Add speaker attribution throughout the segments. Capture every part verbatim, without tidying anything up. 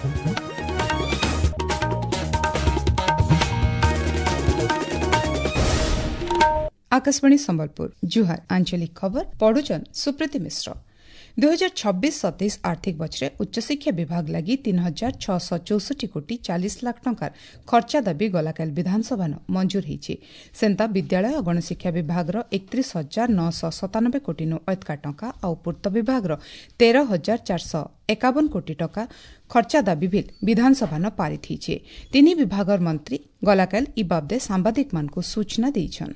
Speaker 1: Akashvani Sambalpur ଜୁହାର ଆଞ୍ଚଳିକ ଖବର ପଢୁଛନ୍ ସୁପ୍ରୀତି ମିଶ୍ର। ଦୁଇ ହଜାର ଛବିଶ ସତେଇଶ ଆର୍ଥିକ ବର୍ଷରେ ଉଚ୍ଚଶିକ୍ଷା ବିଭାଗ ଲାଗି ତିନି ହଜାର ଛଅଶହ ଚଉଷଠି କୋଟି ଚାଳିଶ ଲାଖ ଟଙ୍କାର ଖର୍ଚ୍ଚା ଦାବି ଗଲାକାଲି ବିଧାନସଭାନ ମଞ୍ଜୁର ହୋଇଛି। ସେନ୍ତା ବିଦ୍ୟାଳୟ ଓ ଗଣଶିକ୍ଷା ବିଭାଗର ଏକତିରିଶ ହଜାର ନଅଶହ ସତାନବେ କୋଟିନୁ ଅଧିକା ଟଙ୍କା ଆଉ ପୂର୍ତ୍ତ ବିଭାଗର ତେର ହଜାର ଚାରିଶହ ଏକାବନ କୋଟି ଟଙ୍କା ଖର୍ଚ୍ଚା ଦାବି ବିଲ୍ ବିଧାନସଭାନ ପାରିତ ହୋଇଛି। ତିନି ବିଭାଗର ମନ୍ତ୍ରୀ ଗଲାକାଲି ଇ ବାବଦେ ସାମ୍ବାଦିକମାନଙ୍କୁ ସୂଚନା ଦେଇଛନ୍।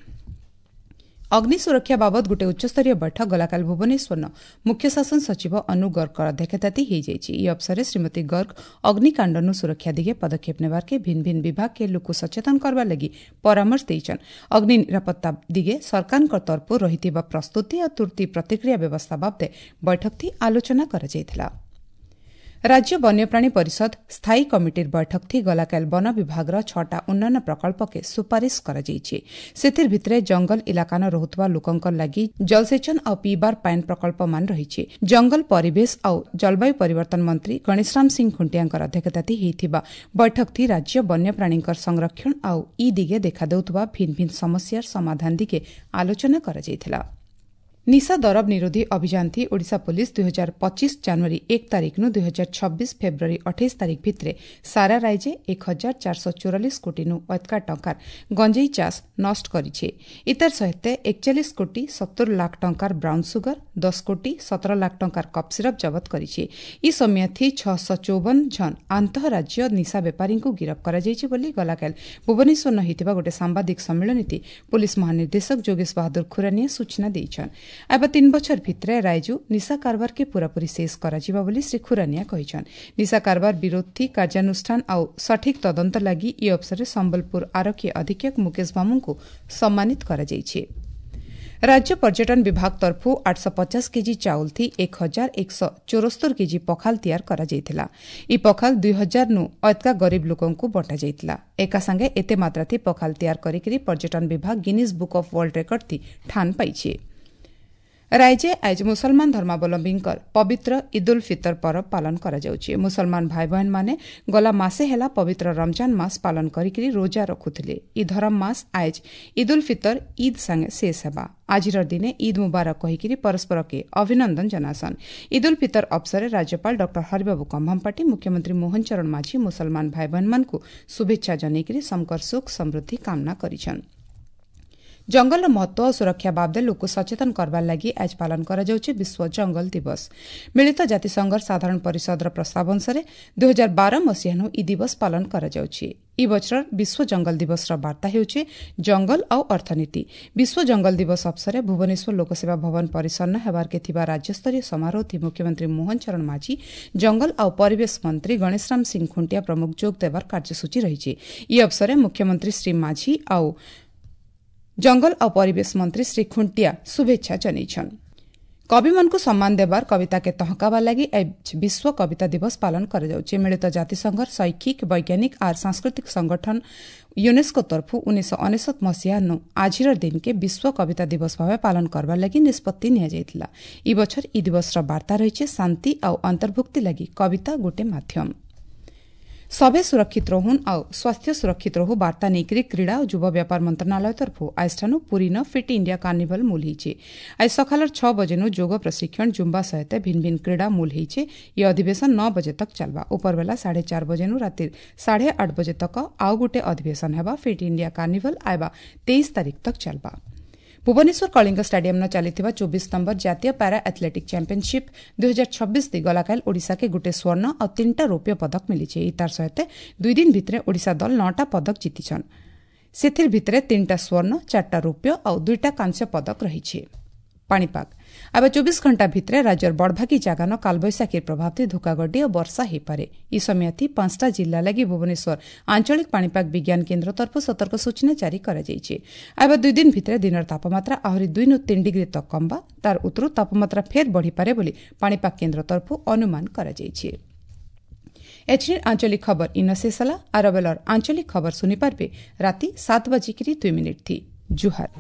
Speaker 1: ଅଗ୍ନି ସୁରକ୍ଷା ବାବଦ ଗୋଟିଏ ଉଚ୍ଚସ୍ତରୀୟ ବୈଠକ ଗଲାକାଲି ଭୁବନେଶ୍ୱରର ମୁଖ୍ୟ ଶାସନ ସଚିବ ଅନୁ ଗର୍ଗଙ୍କ ଅଧ୍ୟକ୍ଷତାତି ହୋଇଯାଇଛି। ଏହି ଅବସରରେ ଶ୍ରୀମତୀ ଗର୍ଗ ଅଗ୍ନିକାଣ୍ଡନୁ ସୁରକ୍ଷା ଦିଗେ ପଦକ୍ଷେପ ନେବାର୍କେ ଭିନ୍ନ ଭିନ୍ନ ବିଭାଗକେ ଲୋକ ସଚେତନ କରବାର ଲାଗି ପରାମର୍ଶ ଦେଇଛନ୍। ଅଗ୍ନି ନିରାପତ୍ତା ଦିଗେ ସରକାରଙ୍କ ତରଫରୁ ରହିଥିବା ପ୍ରସ୍ତୁତି ଓ ତୁର୍ତ୍ତି ପ୍ରତିକ୍ରିୟା ବ୍ୟବସ୍ଥା ବାବଦେ ବୈଠକଥି ଆଲୋଚନା କରାଯାଇଥିଲା। ରାଜ୍ୟ ବନ୍ୟପ୍ରାଣୀ ପରିଷଦ ସ୍ଥାୟୀ କମିଟିର ବୈଠକଥି ଗଲାକାଲି ବନ ବିଭାଗର ଛଅଟା ଉନ୍ନୟନ ପ୍ରକଳ୍ପକେ ସୁପାରିଶ କରାଯାଇଛି। ସେଥିର ଭିତରେ ଜଙ୍ଗଲ ଇଲାକାନ ରହୁଥିବା ଲୋକଙ୍କ ଲାଗି ଜଳସେଚନ ଆଉ ପିଇବାର ପାଏନ୍ ପ୍ରକଳ୍ପମାନ ରହିଛି। ଜଙ୍ଗଲ ପରିବେଶ ଆଉ ଜଳବାୟୁ ପରିବର୍ତ୍ତନ ମନ୍ତ୍ରୀ ଗଣେଶରାମ ସିଂ ଖୁଣ୍ଟିଆଙ୍କର ଅଧ୍ୟକ୍ଷତାତି ହୋଇଥିବା ବୈଠକଥି ରାଜ୍ୟ ବନ୍ୟପ୍ରାଣୀଙ୍କର ସଂରକ୍ଷଣ ଆଉ ଇ ଦିଗେ ଦେଖାଦେଉଥିବା ଭିନ୍ନ ଭିନ୍ନ ସମସ୍ୟାର ସମାଧାନ ଦିଗେ ଆଲୋଚନା କରାଯାଇଥିଲା। ନିଶା ଦରବ ନିରୋଧୀ ଅଭିଯାନଥି ଓଡ଼ିଶା ପୋଲିସ ଦୁଇ ହଜାର ପଚିଶ ଜାନୁଆରୀ ଏକ ତାରିଖନୁ ଦୁଇ ହଜାର ଛବିଶ ଫେବୃଆରୀ ଅଠେଇଶ ତାରିଖ ଭିତରେ ସାରା ରାଇଜେ ଏକ ହଜାର ଚାରିଶହ ଚଉରାଳିଶ କୋଟିନୁ ଅଧିକା ଟଙ୍କାର ଗଞ୍ଜେଇ ଚାଷ ନଷ୍ଟ କରିଛି। ଇତାର ସହିତ ଏକଚାଳିଶ କୋଟି ସତୁର ଲାଖ ଟଙ୍କାର ବ୍ରାଉନ୍ ସୁଗର, ଦଶ କୋଟି ସତର ଲାଖ ଟଙ୍କାର କପ୍ ସିରପ୍ ଜବତ କରିଛି। ଇ ସମୟଥି ଛଅଶହ ଚଉବନ ଜଣ ଆନ୍ତଃରାଜ୍ୟ ନିଶା ବେପାରୀଙ୍କୁ ଗିରଫ କରାଯାଇଛି ବୋଲି ଗଲାକାଲି ଭୁବନେଶ୍ୱର ହୋଇଥିବା ଗୋଟିଏ ସାମ୍ବାଦିକ ସମ୍ମିଳନୀତି ପୋଲିସ ମହାନିର୍ଦ୍ଦେଶକ ଯୋଗେଶ ବାହାଦୁର ଖୁରାନିଆ ସୂଚନା ଦେଇଛନ୍। ଏବେ ତିନି ବଛର ଭିତରେ ରାଇଜୁ ନିଶା କାରବାରକେ ପୂରାପୂରି ଶେଷ କରାଯିବ ବୋଲି ଶ୍ରୀ ଖୁରାନିଆ କହିଛନ୍। ନିଶା କାରବାର ବିରୋଧୀ କାର୍ଯ୍ୟାନୁଷ୍ଠାନ ଆଉ ସଠିକ୍ ତଦନ୍ତ ଲାଗି ଇ ଅବସରରେ ସମ୍ବଲପୁର ଆରକ୍ଷୀ ଅଧୀକ୍ଷକ ମୁକେଶ ମାମୁଙ୍କୁ ସମ୍ମାନିତ କରାଯାଇଛି। ରାଜ୍ୟ ପର୍ଯ୍ୟଟନ ବିଭାଗ ତରଫରୁ ଆଠଶହ ପଚାଶ କେଜି ଚାଉଳ ଥି ଏକ ହଜାର ଏକଶହ ଚଉରସ୍ତର କେଜି ପଖାଲ ତିଆର କରାଯାଇଥିଲା। ଇ ପଖାଲ ଦୁଇ ହଜାର ନୁ ଅଧିକା ଗରିବ ଲୋକଙ୍କୁ ବଣ୍ଟାଯାଇଥିଲା। ଏକା ସାଙ୍ଗେ ଏତେ ମାତ୍ରା ଥି ପଖାଲ ତିଆର କରିକିରି ପର୍ଯ୍ୟଟନ ବିଭାଗ Guinness book of world record ଥି ଠାନ ପାଇଛି। ରାଇଜେ ଆଜି ମୁସଲମାନ ଧର୍ମାବଲମ୍ବୀଙ୍କର ପବିତ୍ର ଇଦ୍ ଉଲ୍ ଫିତର ପରବ ପାଳନ କରାଯାଉଛି। ମୁସଲମାନ ଭାଇ ଭଉଣୀମାନେ ଗଲା ମାସେ ହେଲା ପବିତ୍ର ରମଜାନ ମାସ ପାଳନ କରିକିରି ରୋଜା ରଖୁଥିଲେ। ଇ ଧରମ ମାସ ଆଜ ଇଦ୍ ଉଲ୍ ଫିତର ଇଦ୍ ସାଙ୍ଗେ ଶେଷ ହେବା। ଆଜିର ଦିନେ ଇଦ୍ ମୁବାରକ କହିକିରି ପରସ୍ପରକେ ଅଭିନନ୍ଦନ ଜଣାସନ୍। ଇଦ୍ ଉଲ୍ ଫିତର ଅବସରରେ ରାଜ୍ୟପାଳ ଡକ୍ଟର ହରିବାବୁ କମ୍ଭମପାଟି, ମୁଖ୍ୟମନ୍ତ୍ରୀ ମୋହନ ଚରଣ ମାଝୀ ମୁସଲମାନ ଭାଇ ଭଉଣୀମାନଙ୍କୁ ଶୁଭେଚ୍ଛା ଜଣାଇକିରି ସମକର ସୁଖ ସମୃଦ୍ଧି କାମନା କରିଛନ୍। ଜଙ୍ଗଲର ମହତ୍ତ୍ୱ ଓ ସୁରକ୍ଷା ବାବଦେ ଲୋକ ସଚେତନ କରବାର ଲାଗି ଆଜି ପାଳନ କରାଯାଉଛି ବିଶ୍ୱ ଜଙ୍ଗଲ ଦିବସ। ମିଳିତ ଜାତିସଂଘର ସାଧାରଣ ପରିଷଦର ପ୍ରସ୍ତାବ ଅନୁସାରେ ଦୁଇ ହଜାର ବାର ମସିହାନୁ ଇ ଦିବସ ପାଳନ କରାଯାଉଛି। ଇ ବଛରର ବିଶ୍ୱ ଜଙ୍ଗଲ ଦିବସର ବାର୍ତ୍ତା ହେଉଛି ଜଙ୍ଗଲ ଆଉ ଅର୍ଥନୀତି। ବିଶ୍ୱ ଜଙ୍ଗଲ ଦିବସ ଅବସରରେ ଭୁବନେଶ୍ୱର ଲୋକସେବା ଭବନ ପରିସରରେ ହେବାର୍କେ ଥିବା ରାଜ୍ୟସ୍ତରୀୟ ସମାରୋହଥି ମୁଖ୍ୟମନ୍ତ୍ରୀ ମୋହନ ଚରଣ ମାଝୀ, ଜଙ୍ଗଲ ଆଉ ପରିବେଶ ମନ୍ତ୍ରୀ ଗଣେଶରାମ ସିଂ ଖୁଣ୍ଟିଆ ପ୍ରମୁଖ ଯୋଗ ଦେବାର କାର୍ଯ୍ୟସୂଚୀ ରହିଛି। ଇ ଅବସରରେ ମୁଖ୍ୟମନ୍ତ୍ରୀ ଶ୍ରୀ ମାଝୀ ଆଉ ଜଙ୍ଗଲ ଆଉ ପରିବେଶ ମନ୍ତ୍ରୀ ଶ୍ରୀ ଖୁଣ୍ଟିଆ ଶୁଭେଚ୍ଛା ଜଣାଇଛନ୍। କବିମାନଙ୍କୁ ସମ୍ମାନ ଦେବାର କବିତାକେ ତହକାବା ଲାଗି ବିଶ୍ୱ କବିତା ଦିବସ ପାଳନ କରାଯାଉଛି। ମିଳିତ ଜାତିସଂଘର ଶୈକ୍ଷିକ, ବୈଜ୍ଞାନିକ ଆର୍ ସାଂସ୍କୃତିକ ସଂଗଠନ ୟୁନେସ୍କୋ ତରଫରୁ ଉଣେଇଶହ ଅନେଶତ ମସିହାନୁ ଆଜିର ଦିନକେ ବିଶ୍ୱ କବିତା ଦିବସ ଭାବେ ପାଳନ କରବାର ଲାଗି ନିଷ୍ପତ୍ତି ନିଆଯାଇଥିଲା। ଇ ବଛର ଇ ଦିବସର ବାର୍ତ୍ତା ରହିଛି ଶାନ୍ତି ଆଉ ଅନ୍ତର୍ଭୁକ୍ତି ଲାଗି କବିତା ଗୋଟେ ମାଧ୍ୟମ। ସଭେ ସୁରକ୍ଷିତ ରହୁନ୍ ଆଉ ସ୍ୱାସ୍ଥ୍ୟ ସୁରକ୍ଷିତ ରହୁ ବାର୍ତ୍ତା ନେଇକରି କ୍ରୀଡ଼ା ଓ ଯୁବ ବ୍ୟାପାର ମନ୍ତ୍ରଣାଳୟ ତରଫରୁ ଆଜିଠାନୁ ପୁରୀନ ଫିଟ୍ ଇଣ୍ଡିଆ କାର୍ନିଭାଲ ମୂଲ ହେଇଛି। ଆଜି ସକାଳର ଛଅ ବଜେନୁ ଯୋଗ ପ୍ରଶିକ୍ଷଣ, ଜୁମ୍ବା ସହିତ ଭିନ୍ନ ଭିନ୍ନ କ୍ରୀଡ଼ା ମୂଲ ହେଇছে। ଇ ଅଧିବେଶନ ନଅ ବଜେ ତକ ଚାଲବା। ଉପରବେଲା ସାଢ଼େ ଚାର ବଜେନୁ ରାତି ସାଢ଼େ ଆଠ ବଜେ ତକ ଆଉ ଗୋଟେ ଅଧିବେଶନ ହେବା। ଫିଟ୍ ଇଣ୍ଡିଆ କାର୍ନିଭାଲ ଆଇବା ତେଇଶ ତାରିଖ ତକ ଚାଲବା। ଭୁବନେଶ୍ୱର କଳିଙ୍ଗ ଷ୍ଟାଡିୟମ୍ନ ଚାଲିଥିବା ଚବିଶ ନମ୍ବର ଜାତୀୟ ପାରା ଆଥଲେଟିକ୍ ଚାମ୍ପିୟନସିପ୍ ଦୁଇ ହଜାର ଛବିଶ ଦି ଗଲାକାଲି ଓଡ଼ିଶାକେ ଗୋଟିଏ ସ୍ୱର୍ଣ୍ଣ ଆଉ ତିନିଟା ରୌପ୍ୟ ପଦକ ମିଳିଛି। ତାର ସହିତ ଦୁଇ ଦିନ ଭିତରେ ଓଡ଼ିଶା ଦଳ ନଅଟା ପଦକ ଜିତିଛନ୍। ସେଥିର ଭିତରେ ତିନିଟା ସ୍ୱର୍ଣ୍ଣ, ଚାରିଟା ରୌପ୍ୟ ଆଉ ଦୁଇଟା କାଂସ୍ୟ ପଦକ ରହିଛି। ପାଣିପାଗ ଏବେ ଚବିଶ ଘଣ୍ଟା ଭିତରେ ରାଜ୍ୟର ବଡ଼ଭାଗୀ ଜାଗାନ କାଳବୈଶାଖୀର ପ୍ରଭାବରେ ଧୋକାଗଡି ଓ ବର୍ଷା ହୋଇପାରେ। ଇ ସମୟଥି ପାଞ୍ଚଟା ଜିଲ୍ଲା ଲାଗି ଭୁବନେଶ୍ୱର ଆଞ୍ଚଳିକ ପାଣିପାଗ ବିଜ୍ଞାନ କେନ୍ଦ୍ର ତରଫରୁ ସତର୍କ ସୂଚନା ଜାରି କରାଯାଇଛି। ଏବେ ଦୁଇ ଦିନ ଭିତରେ ଦିନର ତାପମାତ୍ରା ଆହୁରି ଦୁଇ ନୁ ତିନି ଡିଗ୍ରୀ ତକ କମବା, ତାର ଉତ୍ତରୁ ତାପମାତ୍ରା ଫେର୍ ବଢ଼ିପାରେ ବୋଲି ପାଣିପାଗ କେନ୍ଦ୍ର ତରଫରୁ ଅନୁମାନ କରାଯାଇଛି। ଏଛିନିର ଆଞ୍ଚଳିକ ଖବର ଇନ ଶେଷ ହେଲା। ଆରବେଲର ଆଞ୍ଚଳିକ ଖବର ଶୁଣିପାରିବେ ରାତି ସାତ ବାଜିକିରି ଦୁଇ ମିନିଟ୍ ଥି। ଜୁହାର।